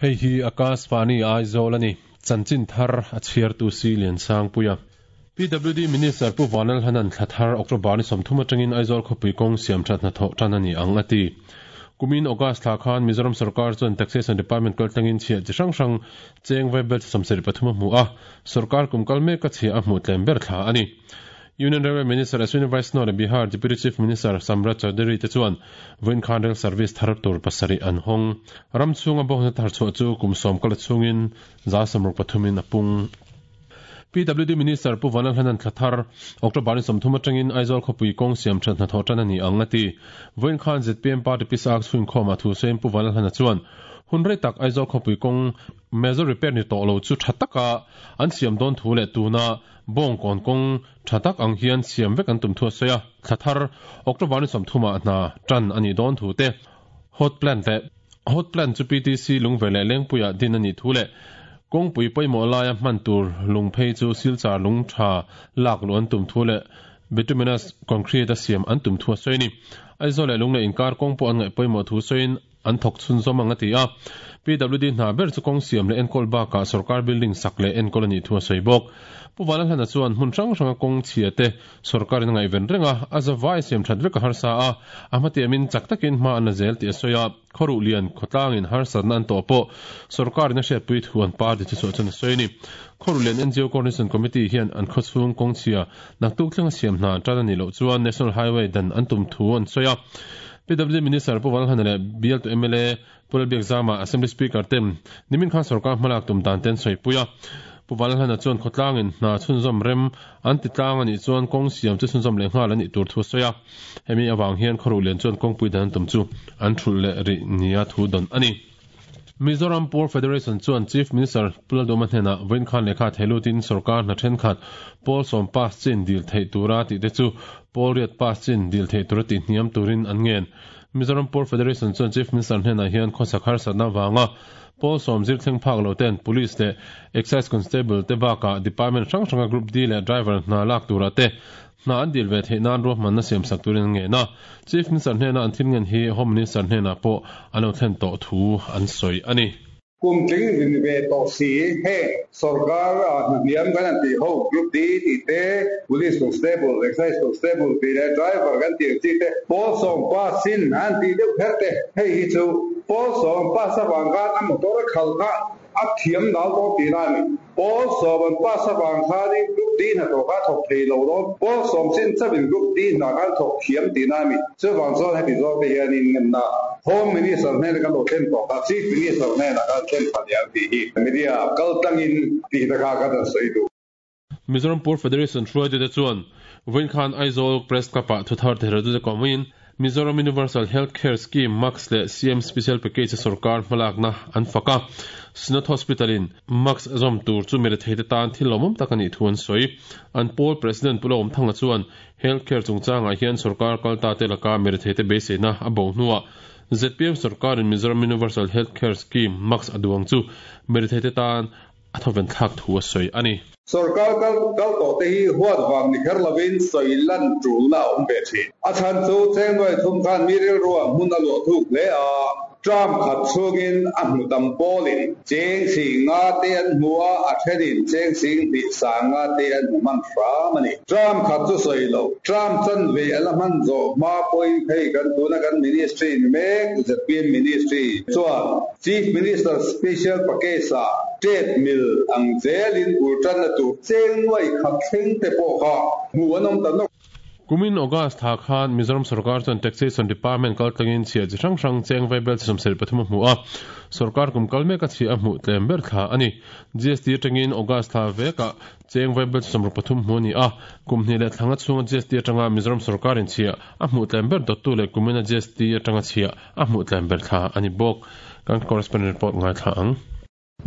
Hei hi Akashvani Aizawl a ni. Chanchin thar a chhiartu si Liansangpuia. PWD Minister Pu Vanlalhanan thla thar October ni 30 atangin Aizawl khawpui kawng siam that hnathawh tan a ni ang a ti. Kumin August thla khan Mizoram sarkar chuan Taxation Department kaltlangin chhiah chi hrang hrang cheng vaibel 73 a hmu a, sarkar kum kal mek a chhiah a hmuh tlem ber thla a ni. Union Railway Minister Ashwini Vaishnaw leh Bihar Deputy Chief Minister Samrat Chaudhary te chuan vawiin khan rail service thar tur pasarih an hawng. Ram chhunga bawhna thar chhuah chu kum 10 kal chhungin 63% in a pung. PWD Minister Pu Vanlalhanan thla thar October ni 30 atangin Aizawl khawpui kawng siam that hnathawh tan a ni ang a ti. Vawiin khan ZPM Party Pisak chhun khawm a thu sawiin Pu Vanlalhana chuan hun rei tak Aizawl khawpui kawng major repair ni tawh lo chu tha taka an siam dawn thu leh tuna bawng kawn kawng tha tak ang hian siam vek an tum thu a sawi a. Thla thar October ni 30 ah hna tan a ni dawn thu te hot plant leh hot plant chu PTC lungve leh lengpuia din a ni thu leh kawngpui pawimawh laia hman tur lung phei chu silchar lung tha lak lu an tum thu leh bituminous concrete a siam an tum thu a sawi ni. Aizawl leh lung leh inkar kawng pawh an ngaih pawimawh thu sawiin an thawk chhun zawm ang a ti a. PWD hna ber chu kawng siam leh enkawl bakah sarkar building sak leh enkawl a nih thu a sawi bawk. Pu Vanlalhana chuan hmun hrang hranga kawng chhia te sarkar in a ngaihven reng a, a zavai siam that vek a harsa a, a hmatiamin chak takin hma an la zel tih a sawi a. Khawruh lian khawtlangin harsatna an tawh pawh sarkar in a hriatpui thu an party chu chuah chuan a sawi a ni. Khawruh lian NGO Coordination Committee hian an khawchhung kawng chhia naktuk thlenga siam hna an tan a nih loh chuan National Highway dan an tum thu an sawi a. PWD Minister Pu Vanlalhana leh bial tu MLA Pu Lalbiak Zama Assembly Speaker ten nimin khan sarkar hmalak tum dan ten sawi pui a. Pu Vanlalhana chuan khawtlangin hna chhunzawm rem an ti tlang a nih chuan kawng siam chu chhunzawm leh nghal a nih tur thu a sawi a. Hemi awang hian khawruh lian chuan kawngpui dan an tum chu an thulh leh rih nia thu dawn a ni. Mizoram Poor Federation chuan Chief Minister Pu Lalduhoma hnenah vawiin khan lehkha theilutin sarkar hna thenkhat pawl sawm pass chin dil theih tura tih te chu pawl riat pass chin dil theih tura tih hniam turin an ngen. Mizoram Poor Federation chuan Chief Minister hnenah hian khawsak harsatna avanga pawl sawm zir thleng phak lo ten Police leh Excise Constable te bakah Department hrang hranga Group D leh Driver hna lak turah te hna an dil ve theih nan ruahmanna siam sak turin an ngen a. Chief Minister hnena an thil ngen hi Home Minister hnenah pawh an lo thlen tawh thu an sawi a ni. Kum tling rin ve tawh si heng sarkar a hnahniam kan an tih ho Group D tih te, Police Constable, Excise Constable tih leh Driver kan tih ang chi te, pawl sawm pass in an tih deuh kher te, hei hi chu pawl sawm pass avang khan a motor a khalh kha a thiam dal dawn tih lai a ni. Pawl sawm an pass avang khanin Group D hnathawh kha a thawk thei lo dawn. Pawl sawm chin chauhin Group D hna khan thawk thiam tih lai a ni. Chuvang chuan heti zawk te hianin ngenna Home Minister hnena kan lo thlen tawh kha Chief Minister hnenah khan thlen pha ni ang tih hi media kal tlangin tih te kha ka dan sawi duh. Mizoram Poor Federation hruaitute chuan vawiin khan Aizawl Press Club-ah thuthar thehreltute kawmin Mizoram Universal Health Care Scheme, MAHCS leh CM Special Package a sorkar hmalakna an fak a. Synod Hospital-in MAHCS zawm tur chu miretheite tan thil lawmawm tak a nih thu an sawi. An pawl President Pu Lawmthanga chuan Health Care chungchangah hian sorkar kalta te laka miretheite beiseina a bo hnuah ZPM sorkarin Mizoram Universal Health Care Scheme, MAHCS a duang chu miretheite tan a thawven thlak thu a sawi a ni. Sarkar kal kal tawh te hi huat vang ni kher lovin sawi lan tulna a awm ve thin. A chhan chu cheng nuai thum khan mi rilrua hmun a luah thuk hle a, tram khat chhungin a hmu tam pawlin cheng sing nga te an hmu a, a thenin cheng sing hnih sang nga te an hmu hman hram a ni. Tram khat chu sawi lo, tram chan ve a la hman zawh hma pawhin hei kan tuna kan ministry ni mek ZPM ministry chuan Chief Minister Special Package ah trade mill ang zelin bul tanna tur cheng nuai khat thleng te pawh kha hmuh an awm ta nawk. Kumin August tha khan Mizoram sarkar chuan Taxation Department kal tlangin chhiah chi hrang hrang cheng vaibel chi 73 a hmu a, sarkar kum kal mek a chhiah a hmuh tlem ber thla a ni. GST atangin August thla vekah cheng vaibel chi 63 hmu a ni a, kum hnih leh thlanga chhunga GST atanga Mizoram sarkarin chhiah a hmuh tlem ber dawttu leh kumina GST atanga chhiah a hmuh tlem ber thla a ni bawk. Kan correspondent report ngai thla ang.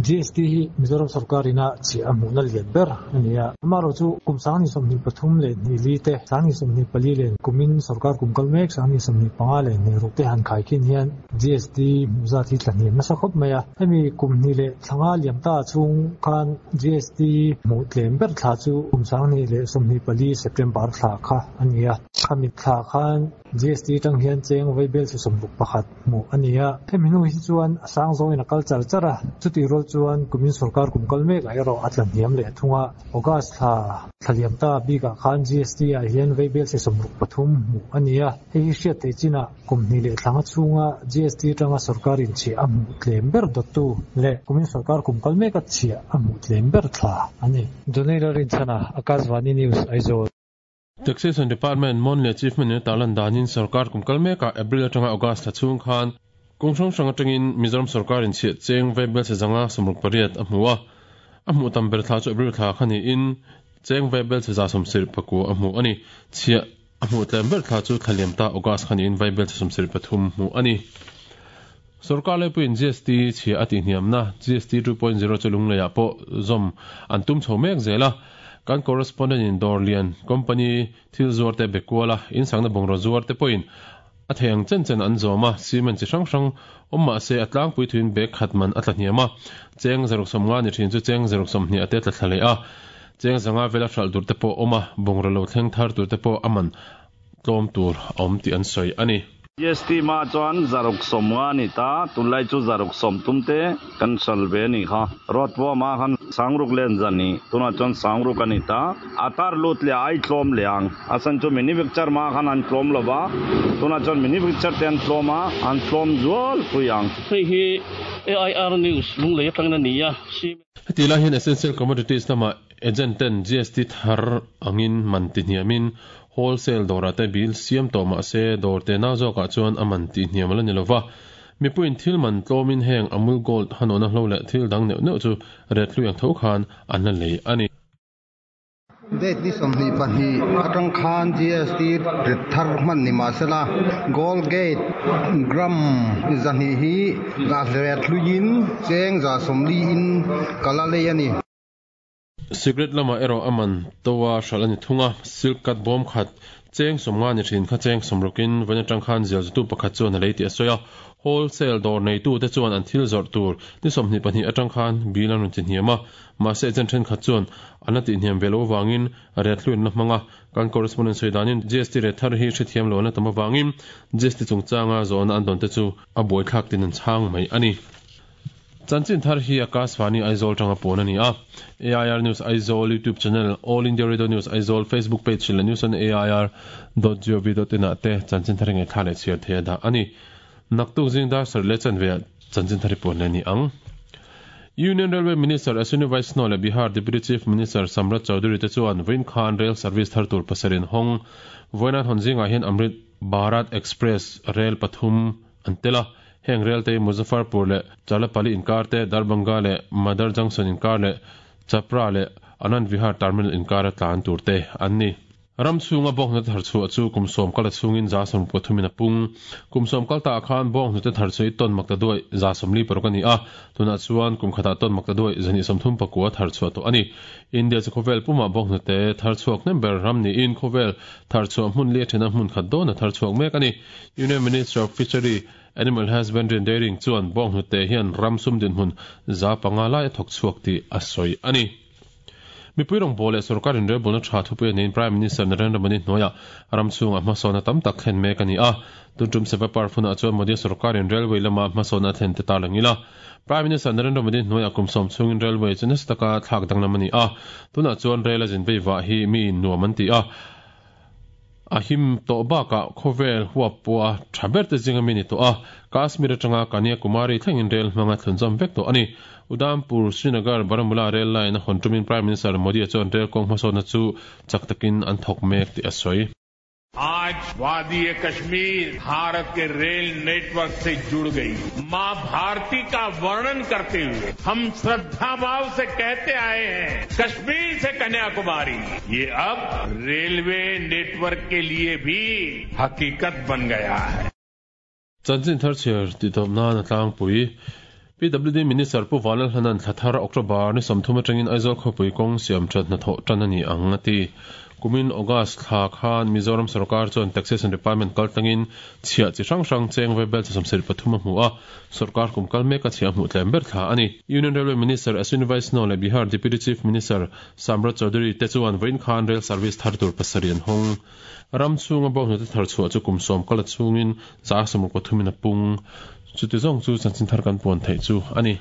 GST hi Mizoram sorkar ina chhiah a hmuhna lian ber a ni a. Amaherawhchu kum 2023 leh 4 te, 2024 leh kumin sorkar kum kal mek 2025 leh 26 te han khaikhin hian GST hmuh zat hi tla hniam nasa khawp mai a. Hemi kum hnih leh thla nga liam ta chhung khan GST hmuh tlem ber thla chu kum 2024 September thla kha a ni a. Khami thla khan GST atang hian cheng vaibel chi 61 hmuh a ni a. Hemi hnu hi chuan a sang zawngin a kal char char a, chutih rual chuan kumin sorkar kum kal mek ah erawh a tla hniam leh thung a. August thla thla liam ta bikah khan GST ah hian vaibel chi 63 hmuh a ni a. Hei hi hriat theih chinah kum hnih leh thla nga chhunga GST atanga sorkar inchhiah a hmuh tlem ber dawttu leh kumin sorkar kum kal meka chhiah a hmuh tlem ber thla a ni. Donald Rinchhana, Akashvani News, Aizawl. Taxation Department Monthly Achievement in a tarlan danin sorkar kum kal mekah April atanga August thla chhung khan kawng hrang hrang atangin Mizoram sorkar in chhiah cheng vaibel chhe zanga 68 a hmu a. A hmuh tam ber thla chu April thla kha niin cheng vaibel chhe 74 a hmu a ni. Chhiah a hmuh tlem ber thla chu thla liam ta August kha niin vaibel chhe 73 hmuh a ni. Sorkar laipuiin GST chhiah a tihhniamna GST 2.0 chu Lungleiah pawh zawm an tum chho mek zel a. Kan correspondent in dawr lian company thil zuar te be kual a, insangna bungraw zuar te pawhin a thei ang chen chen an zawm a, cement chi hrang hrang awm mah se a tlangpui thuin bag khat man a tla hniam a, cheng 150 ni thin chu cheng 120 a te tla thla leh a, cheng 500 vela hralh tur te pawh awm a, bungraw lo thleng thar tur te pawh a man tlawm tur a awm tih an sawi a ni. GST hma chuan 150 a ni ta, tunlai chu 160 te kan hral ve a nih kha. Road pawh hma khan 60 len zan ni, tunah chuan 60 a ni ta. A tar lut leh a ai tlawm leh ang. A chhan chu manufacture hma khan an tlawm lo va, tunah chuan manufacture te an tlawm a, an tlawm zual pui ang. Hei hi AIR News Lunglei atangin a ni a. Heti lai hian Essential Commodities lamah Agent ten GST thar angin man ti hniamin wholesale dawrah te bill siam tawh mah se dawr te nau zawkah chuan a man tih hniam a la ni lova. Mipuiin thil man tlawmin heng Amul Gold hanawhna hlo leh thil dang neuh neuh chu ret hlui ang tho khan an la lei a ni. Date ni 22 atang khan GST ret thar hman ni mah sela Gold Gate gram 200 hi ret hluiin cheng 140 in ka la lei a ni. Cigarette lamah erawh a man to a hralh a ni thung a, silk cut bawm khat cheng 50 ni thin kha cheng 60 in vawiin atang khan zial zutu pakhat chuan a lei tih a sawi a. Wholesale dawr neitute chuan an thil zawrh tur ni 22 atang khan bill an rawn ti hniam a, mahse agent thenkhat chuan an la tihhniam ve loh avangin ret hluin la hmang a. Kan correspondent sawi danin GST ret thar hi hrethiam lo an la tam avangin GST chungchanga zawhna an dawn te chu a buaithlak tin an chhang mai a ni. Chanchin thar hi Akashvani Aizawl tanga pawn a ni a. AIR News Aizawl YouTube channel, All India Radio News Aizawl Facebook page leh news on air dot gov dot in ah te chanchin thar hi ngaihthla leh chhiar thei a dah a ni. Naktuk zing dar sarih leh chanve ah chanchin thar hi puan leh a ni ang. Union Railway Minister Ashwini Vaishnaw leh Bihar Deputy Chief Minister Samrat Chaudhary te chuan vawiin khan rail service thar tur pasarih an hawng. Vawiin an hawn zingah hian Amrit Bharat Express rel pathum an tel a. Heng rel te hi Muzaffarpur leh Chalapali inkar te, Darbhanga leh Madar Junction inkar leh Chapra leh Anand Vihar Terminal inkara tlan tur te an ni. Ram chhunga bawnghnute thar chhuah chu kum sawm kal a chhungin 13% in a pung. Kum sawm kal ta ah khan bawnghnute thar chhuah hi tawn makta duai 46 a ni a, tunah chuan kum khatah tawn makta duai 239 thar chhuah tawh a ni. India chu khawvel pumah bawnghnute thar chhuak hnem ber ram niin khawvel thar chhuah hmun li a thena hmun khat dawn a thar chhuak mek a ni. Union Minister of Fishery, Animal Husbandry and Dairying chuan bawnghnute hian ram sum dinhmun 500 lai a thawk chhuak tih a sawi a ni. Mipui rawngbâwl leh sorkar inrelbawlna tha thupui a neiin Prime Minister Narendra Modi hnuaiah ram chhungah hmasawnna tam tak thlen mek a ni a. Tun tum Seva Parv hunah chuan Modi sorkarin railway lama hmasawnna a thlen te tarlang ila. Prime Minister Narendra Modi hnuaiah kum sawm chhungin railway chu nasa taka thlak danglam a ni a. Tunah chuan rail a zin vei vah hi miin nuam an ti a. A him tawh bakah khawvel huap pawha tha ber te zinga mi ni tawh a, Kashmir atanga Kanyakumari thlengin rel hmanga thlunzawm vek tawh a ni. Udhampur, Srinagar, Baramulla rail line a hawn tumin Prime Minister Modi-a chuan rel kawng hmasawnna chu chak takin an thawk mek tih a sawi. Aaj Wadi-e-Kashmir Bharat ke rail network se jud gayi. Maa Bharti ka varnan karte hue hum shraddha bhav se kehte aaye hain Kashmir se Kanyakumari ye ab railway network ke liye bhi hakikat ban gaya hai. Chanchin thar chhiar tih tawp nan a tlangpui. PWD Minister Pu Vanlalhlana'n thla thar October ni 30 atangin Aizawl khawpui kawng siam that hnathawh tan a ni ang a ti. Kumin August thla khan Mizoram sorkar chuan Taxation Department kaltlangin chhiah chi hrang hrang cheng vaibel chi 73 a hmu a, sorkar kum kal mek a chhiah hmuh tlem ber thla a ni. Union Railway Minister Ashwini Vaishnaw leh Bihar Deputy Chief Minister Samrat Chaudhary te chuan vawiin khan rail service thar tur pasarih an hawng. Ram chhunga bawnghnute thar chhuah chu kum sawm kal a chhungin 163 in a pung. Chuti zawng chu chanchin thar kan puan theih chu a ni.